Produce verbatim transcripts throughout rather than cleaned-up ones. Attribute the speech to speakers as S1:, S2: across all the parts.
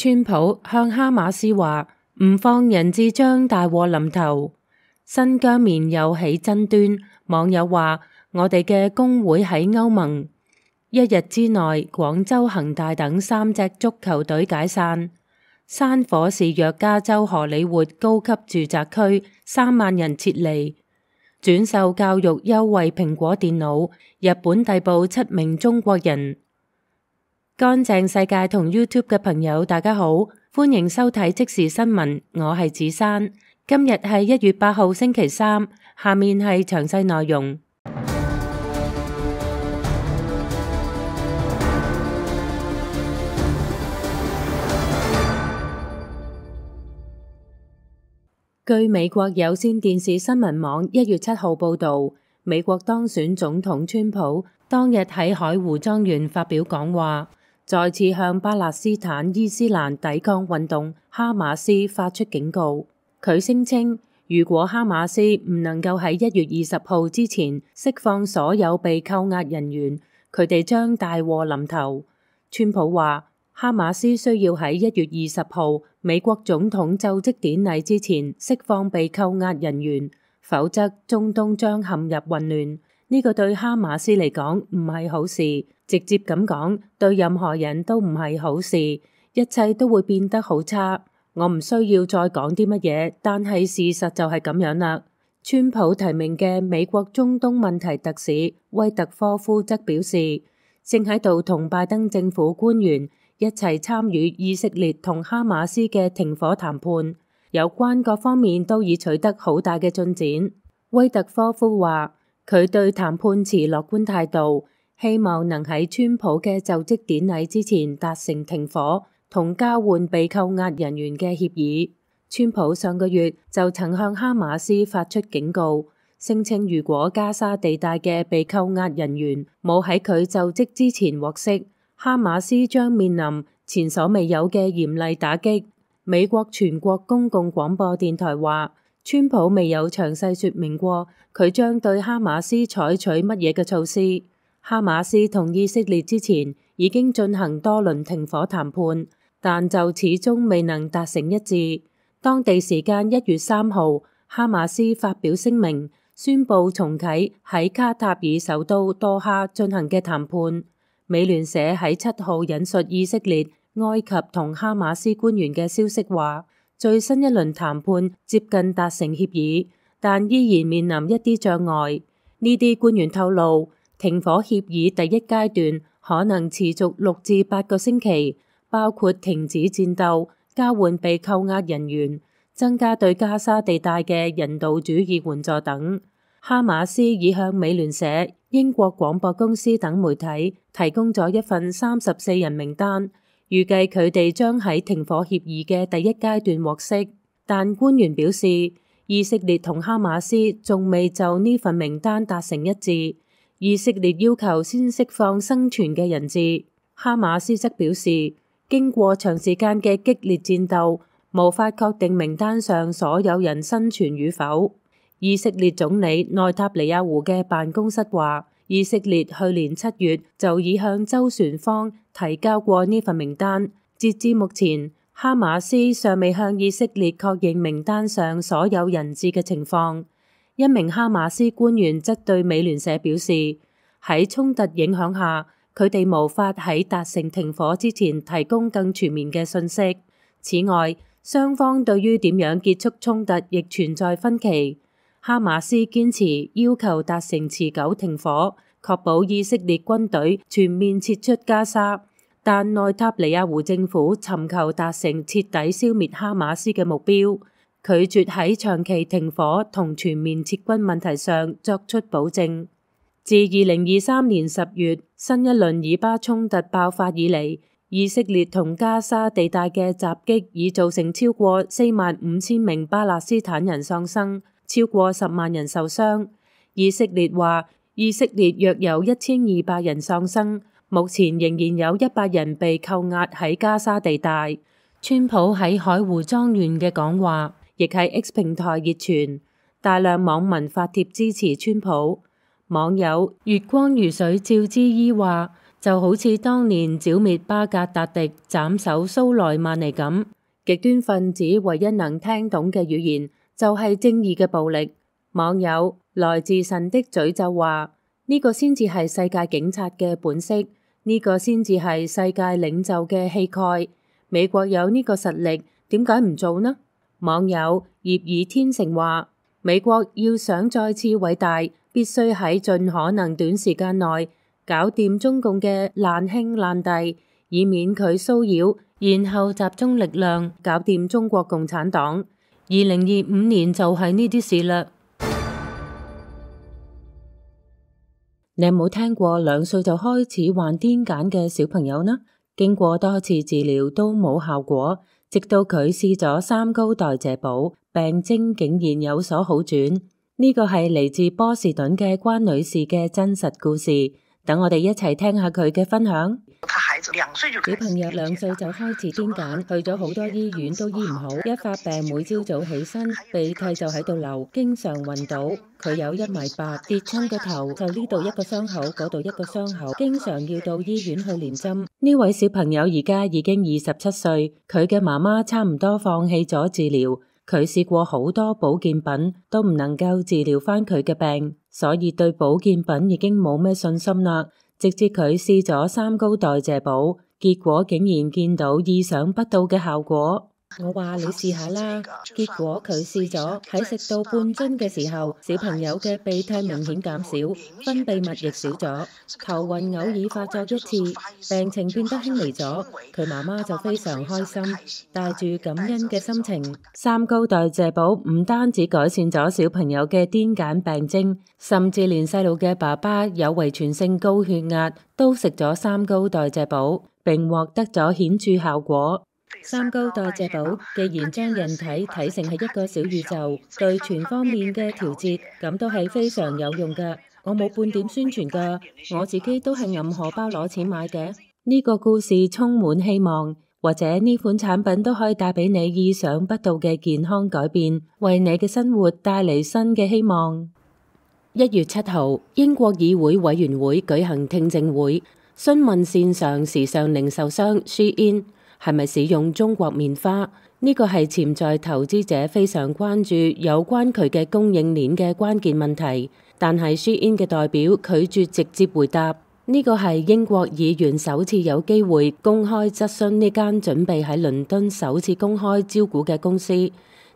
S1: 川普向哈馬斯話唔放人質將大禍臨頭。新疆棉又起爭端，網友話我哋嘅工會喺歐盟。一日之內，廣州恒大等三隻足球隊解散。山火肆虐加州荷里活高級住宅區，三萬人撤離。轉售教育優惠蘋果電腦，日本逮捕七名中國人。乾淨世界同 YouTube 嘅朋友大家好，歡迎收睇即時新聞，我係子珊。今日係一月八號星期三，下面係詳細內容。據美國有線電視新聞網一月七號報導，美國當選總統川普當日喺海湖莊園發表講話，再次向巴勒斯坦伊斯蘭抵抗運動哈馬斯發出警告。佢聲稱，如果哈馬斯唔能夠喺一月二十號之前釋放所有被扣押人員，佢哋將大禍臨頭。川普話，哈馬斯需要喺一月二十號美國總統就職典禮之前釋放被扣押人員，否則中東將陷入混亂。呢個對哈馬斯嚟講唔係好事，直接咁講，對任何人都唔係好事，一切都會變得好差。我唔需要再講啲乜嘢，但係事實就係咁樣啦。川普提名嘅美國中東問題特使威特科夫則表示，正喺度同拜登政府官員一齊參與以色列同哈馬斯嘅停火談判，有關各方面都已取得好大嘅進展。威特科夫話，佢對談判持樂觀態度，希望能喺川普嘅就職典禮之前達成停火同交換被扣押人員嘅協議。川普上個月就曾向哈馬斯發出警告，聲稱如果加沙地帶嘅被扣押人員冇喺佢就職之前獲釋，哈馬斯將面臨前所未有嘅嚴厲打擊。美國全國公共廣播電台話，川普未有詳細說明過佢將對哈馬斯採取乜嘢嘅措施。哈馬斯同以色列之前已經進行多輪停火談判，但就始終未能達成一致。當地時間一月三號，哈馬斯發表聲明，宣布重啟喺卡塔爾首都多哈進行嘅談判。美聯社喺七號引述以色列、埃及同哈馬斯官員嘅消息話，最新一輪談判接近達成協議，但依然面臨一啲障礙。呢啲官員透露，停火協議第一階段可能持續六至八個星期，包括停止戰鬥、交換被扣押人員、增加對加沙地帶嘅人道主義援助等。哈馬斯已向美聯社、英國廣播公司等媒體提供咗一份三十四人名單，預計佢哋將喺停火協議嘅第一階段獲釋。但官員表示，以色列同哈馬斯仲未就呢份名單達成一致。以色列要求先釋放生存嘅人質，哈馬斯則表示，經過長時間嘅激烈戰鬥，無法確定名單上所有人生存與否。以色列總理內塔尼亞胡嘅辦公室話，以色列去年七月就已向周旋方提交過呢份名單。截至目前，哈馬斯尚未向以色列確認名單上所有人質嘅情況。一名哈馬斯官員則對美聯社表示，喺衝突影響下，佢哋無法喺達成停火之前提供更全面嘅信息。此外，雙方對於點樣結束衝突亦存在分歧。哈馬斯堅持要求達成持久停火，確保以色列軍隊全面撤出加沙，但內塔尼亞胡政府尋求達成徹底消滅哈馬斯嘅目標，拒絕喺長期停火同全面撤軍問題上作出保證。自二零二三年十月新一輪以巴衝突爆發以嚟，以色列同加沙地帶嘅襲擊已造成超過四萬五千名巴勒斯坦人喪生，超過十萬人受傷。以色列話，以色列約有一千二百人喪生，目前仍然有一百人被扣押喺加沙地帶。川普喺海湖莊園嘅講話亦喺 X 平台熱傳，大量網民發帖支持川普。網友月光如水趙之伊話，就好似當年剿滅巴格達迪、斬首蘇萊曼尼咁。極端分子唯一能聽懂嘅語言就係正義嘅暴力。網友來自神的詛咒話：呢個先至係世界警察嘅本色，呢個先至係世界領袖嘅氣概。美國有呢個實力，點解唔做呢？網友葉爾天成話：美國要想再次偉大，必須喺盡可能短時間內搞掂中共嘅爛兄爛弟，以免佢騷擾，然後集中力量搞掂中國共產黨。二零二五年就係呢啲事啦。你有冇聽過兩歲就開始患癲癇嘅小朋友呢？經過多次治療都冇效果，直到佢試咗三高代謝寶，病徵竟然有所好轉。呢個係嚟自波士頓嘅關女士嘅真實故事。等我哋一齊聽下佢嘅分享。小朋友兩歲就開始癲癇，去咗好多醫院都醫唔好，一發病每朝早起身鼻涕就喺度流，經常暈倒。佢有一米八，跌親個頭就呢度一個傷口，嗰度一個傷口，經常要到醫院去連針。呢位小朋友而家已經二十七歲，佢嘅媽媽差唔多放棄咗治療。佢試過好多保健品，都唔能夠治療返佢嘅病，所以對保健品已經冇咩信心啦。直至佢試咗三高代謝寶，結果竟然見到意想不到嘅效果。我話你試下啦，結果佢試咗，喺食到半樽嘅時候，小朋友嘅鼻涕明顯減少，分泌物亦少咗，頭暈偶爾發作一次，病情變得輕微咗。佢媽媽就非常開心，帶住感恩嘅心情。三高代謝寶唔單止改善咗小朋友嘅癲癇病徵，甚至連細路嘅爸爸有遺傳性高血壓都食咗三高代謝寶，並獲得咗顯著效果。三高代謝寶既然將人體睇成係一個小宇宙，對全方面嘅調節，咁都係非常有用㗎。我冇半點宣傳㗎，我自己都係揞荷包攞錢買嘅。呢個故事充滿希望，或者呢款產品都可以帶俾你意想不到嘅健康改變，為你嘅生活帶嚟新嘅希望。一月七號，英國議會委員會舉行聽證會，詢問線上時尚零售商 Shein係咪使用中國棉花？呢個係潛在投資者非常關注有關佢嘅供應鏈嘅關鍵問題，但係 Shein 嘅代表拒絕直接回答。呢個係英國議員首次有機會公開質詢呢間準備喺倫敦首次公開招股嘅公司。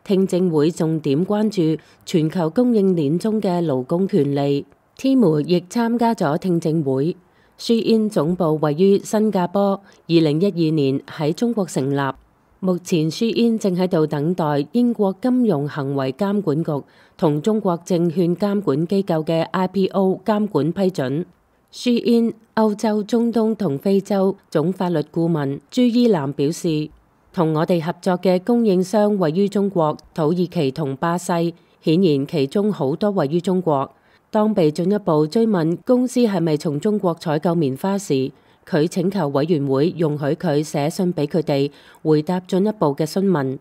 S1: 聽證會重點關注全球供應鏈中嘅勞工權利。天媒亦參加咗聽證會。Shein 總部位於新加坡，二零一二年喺中國成立。目前 Shein 正喺度等待英國金融行為監管局同中國證券監管機構嘅 I P O 監管批准。Shein 歐洲、中東同非洲總法律顧問朱伊南表示，同我哋合作嘅供應商位於中國、土耳其同巴西，顯然其中好多位於中國。當被進一步追問公司係咪從中國採購棉花時，佢請求委員會容許佢寫信俾佢哋回答進一步嘅詢問。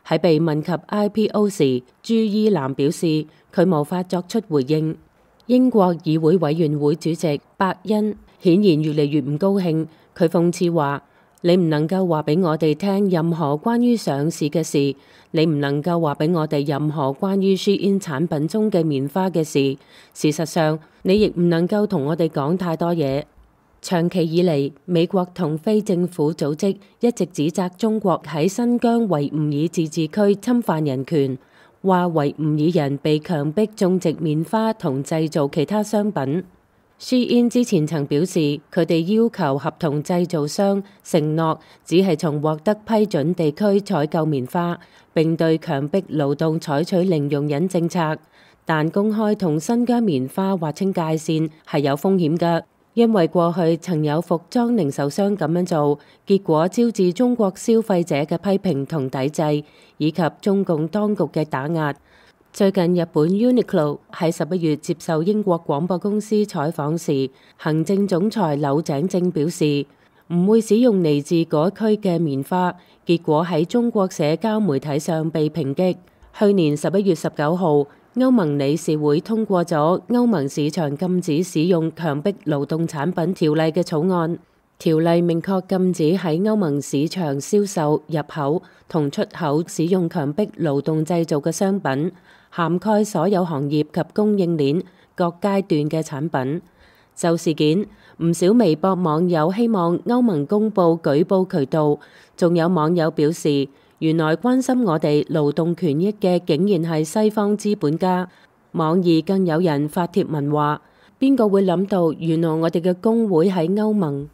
S1: 喺被問及 I P O 時，朱伊南表示佢無法作出回應。英國議會委員會主席伯恩顯然越嚟越唔高興，佢諷刺話：你唔能夠話俾我哋聽任何關於上市嘅事，你唔能夠話俾我哋任何關於 Shein 產品中嘅棉花嘅事。事實上，你亦唔能夠同我哋講太多嘢。長期以嚟，美國同非政府組織一直指責中國喺新疆維吾爾自治區侵犯人權，話維吾爾人被強迫種植棉花同製造其他商品。Shein 之前曾表示，佢哋要求合同製造商承諾只係從獲得批准地區採購棉花，並對強迫勞動採取零容忍政策。但公開同新疆棉花劃清界線係有風險㗎，因為過去曾有服裝零售商咁樣做，結果招致中國消費者嘅批評同抵制，以及中共當局嘅打壓。最近日本 Uniqlo 喺十一月接受英國廣播公司採訪時，行政總裁柳井正表示唔會使用嚟自嗰區嘅棉花，結果喺中國社交媒體上被抨擊。去年十一月十九號，歐盟理事會通過咗歐盟市場禁止使用強迫勞動產品條例嘅草案。條例明確禁止喺歐盟市場銷售、入口同出口使用強迫勞動製造嘅商品，涵蓋所有行業及供應鏈各階段嘅產品。就事件，唔少微博網友希望歐盟公布舉報渠道，仲有網友表示，原來關心我哋勞動權益嘅竟然係西方資本家。網易更有人發帖文話：邊個會諗到原來我哋嘅工會喺歐盟？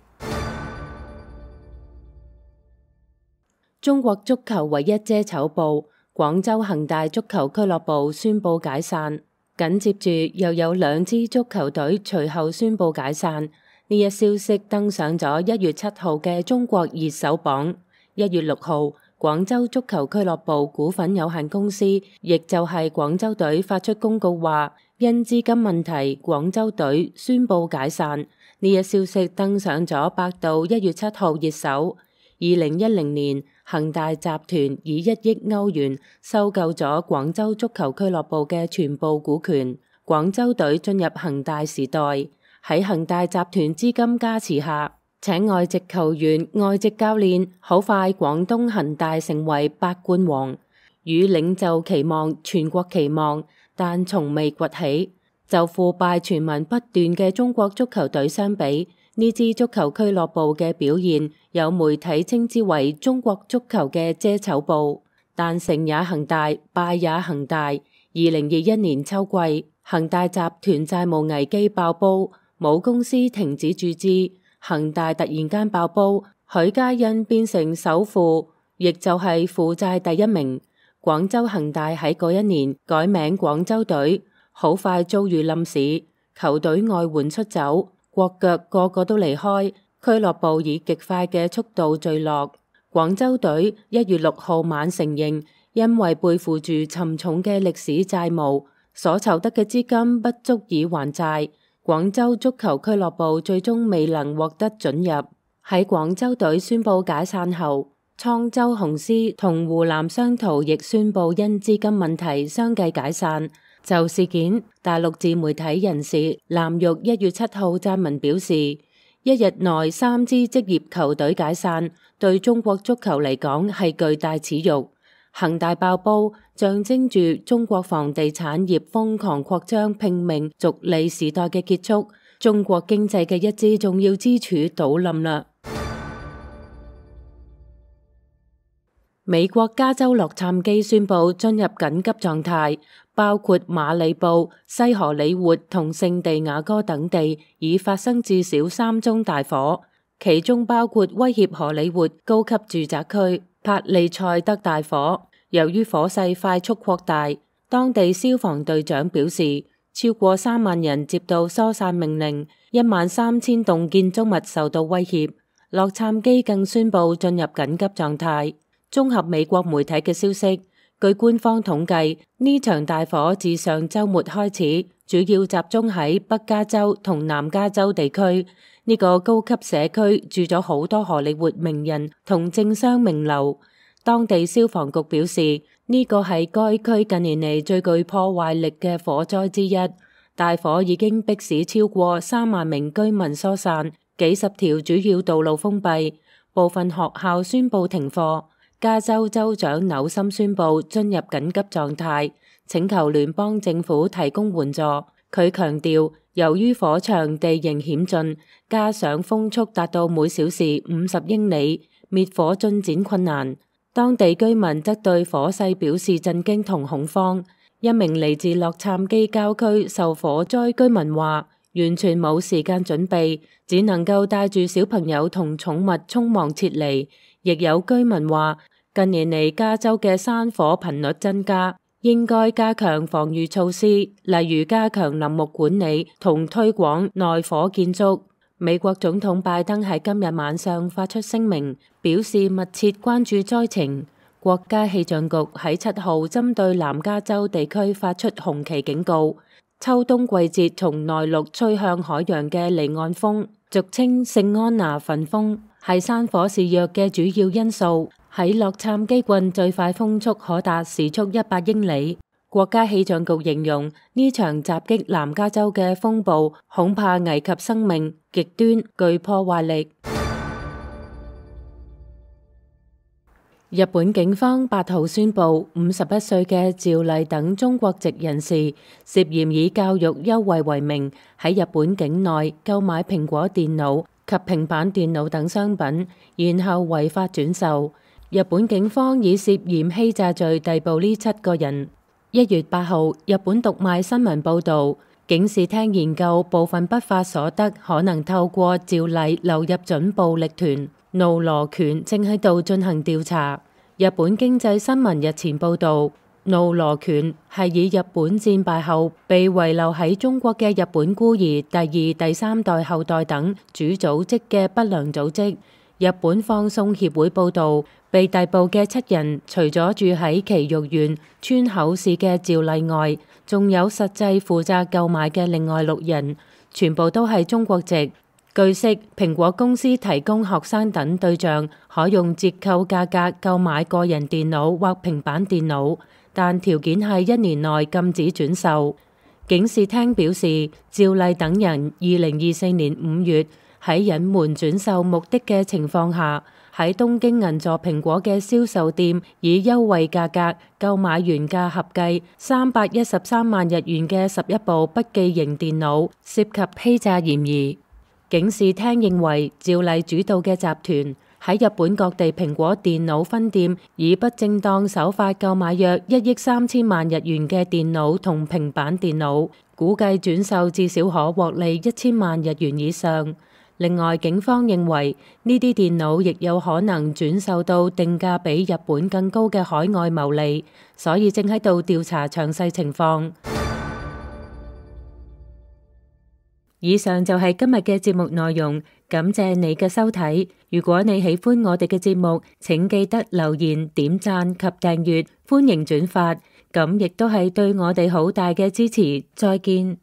S1: 中國足球唯一遮醜布，廣州恒大足球俱樂部宣布解散。緊接住又有兩支足球隊隨後宣布解散。呢一消息登上咗一月七號嘅中國熱搜榜。一月六號，廣州足球俱樂部股份有限公司，亦就係廣州隊發出公告話，因資金問題，廣州隊宣布解散。呢一消息登上咗百度一月七號熱搜。二零一零年，恒大集團以一億歐元收購咗廣州足球俱樂部嘅全部股權，廣州隊進入恒大時代。喺恒大集團資金加持下，請外籍球員、外籍教練，好快廣東恒大成為百冠王。與領袖期望、全國期望，但從未崛起。就腐敗傳聞不斷嘅中國足球隊相比，呢支足球俱樂部嘅表現，有媒體稱之為中國足球嘅遮醜布。但成也恒大，敗也恒大。二零二一年秋季，恒大集團債務危機爆煲，母公司停止注資，恒大突然間爆煲，許家印變成首富，亦就係負債第一名。廣州恒大喺嗰一年改名廣州隊，好快遭遇冧市，球隊外援出走，國腳個個都離開，俱樂部以極快嘅速度墜落。廣州隊一月六號晚承認，因為背負住沉重嘅歷史債務，所籌得嘅資金不足以還債。廣州足球俱樂部最終未能獲得准入。喺廣州隊宣布解散後，滄州雄獅同湖南商濤亦宣布因資金問題相繼解散。就事件，大陸自媒體人士藍玉一月七號撰文表示，一日內三支職業球隊解散，對中國足球嚟講係巨大恥辱。恒大爆煲，象徵住中國房地產業瘋狂擴張、拼命逐利時代嘅結束，中國經濟嘅一支重要支柱倒冧啦。美國加州洛杉磯宣布進入緊急狀態，包括馬里布、西荷里活同聖地亞哥等地已發生至少三宗大火，其中包括威脅荷里活高級住宅區帕利塞德大火。由於火勢快速擴大，當地消防隊長表示，超過三萬人接到疏散命令，一萬三千棟建築物受到威脅。洛杉磯更宣布進入緊急狀態。綜合美國媒體嘅消息，據官方統計，呢場大火自上週末開始，主要集中喺北加州同南加州地區。呢個高級社區住咗好多荷里活名人同政商名流。當地消防局表示，呢個係該區近年嚟最具破壞力嘅火災之一。大火已經迫使超過三萬名居民疏散，幾十條主要道路封閉，部分學校宣布停課。加州州長紐森宣布進入緊急狀態，請求聯邦政府提供援助。佢強調，由於火場地形險峻，加上風速達到每小時五十英里，滅火進展困難。當地居民則對火勢表示震驚同恐慌。一名嚟自洛杉磯郊區受火災居民話，完全冇時間準備，只能夠帶住小朋友同寵物匆忙撤離。亦有居民話，近年嚟加州嘅山火頻率增加，應該加強防禦措施，例如加強林木管理同推廣耐火建築。美國總統拜登喺今日晚上發出聲明，表示密切關注災情。國家氣象局喺七號針對南加州地區發出紅旗警告。秋冬季節從內陸吹向海洋嘅離岸風，俗稱聖安娜焚風，係山火肆虐嘅主要因素。喺洛杉磯郡最快風速可達時速一百英里。國家氣象局形容呢場襲擊南加州嘅風暴恐怕危及生命，極端具破壞力。日本警方八號宣布，五十一歲嘅趙麗等中國籍人士涉嫌以教育優惠為名，喺日本境內購買蘋果電腦及平板電腦等商品，然後違法轉售。日本警方以涉嫌欺詐罪逮捕呢七個人。一月八號，日本讀賣新聞報導，警視廳研究部分不法所得可能透過趙麗流入準暴力團怒羅拳，正喺度進行調查。日本經濟新聞日前報導，怒羅拳係以日本戰敗後被遺留喺中國嘅日本孤兒第二、第三代後代等主組織嘅不良組織。日本放送協會報導，被逮捕嘅七人，除咗住喺埼玉縣川口市嘅趙麗外，仲有實際負責購買嘅另外六人，全部都係中國籍。據悉，蘋果公司提供學生等對象可用折扣價格購買個人電腦或平板電腦，但條件係一年內禁止轉售。警視廳表示，趙麗等人二零二四年五月喺隱瞞轉售目的嘅情況下，喺東京銀座蘋果嘅銷售店以優惠價格購買原價合計三百一十三萬日元嘅十一部筆記型電腦，涉及欺詐嫌疑。警視廳認為，趙麗主導嘅集團喺日本各地蘋果電腦分店以不正當手法購買約一億三千萬日元嘅電腦同平板電腦，估計轉售至少可獲利一千萬日元以上。另外，警方認為呢啲電腦亦有可能轉售到定價比日本更高嘅海外牟利，所以正喺度調查詳細情況。以上就係今日嘅節目內容，感謝你嘅收睇。如果你喜歡我哋嘅節目，請記得留言、點讚及訂閱，歡迎轉發，咁亦都係對我哋好大嘅支持。再見。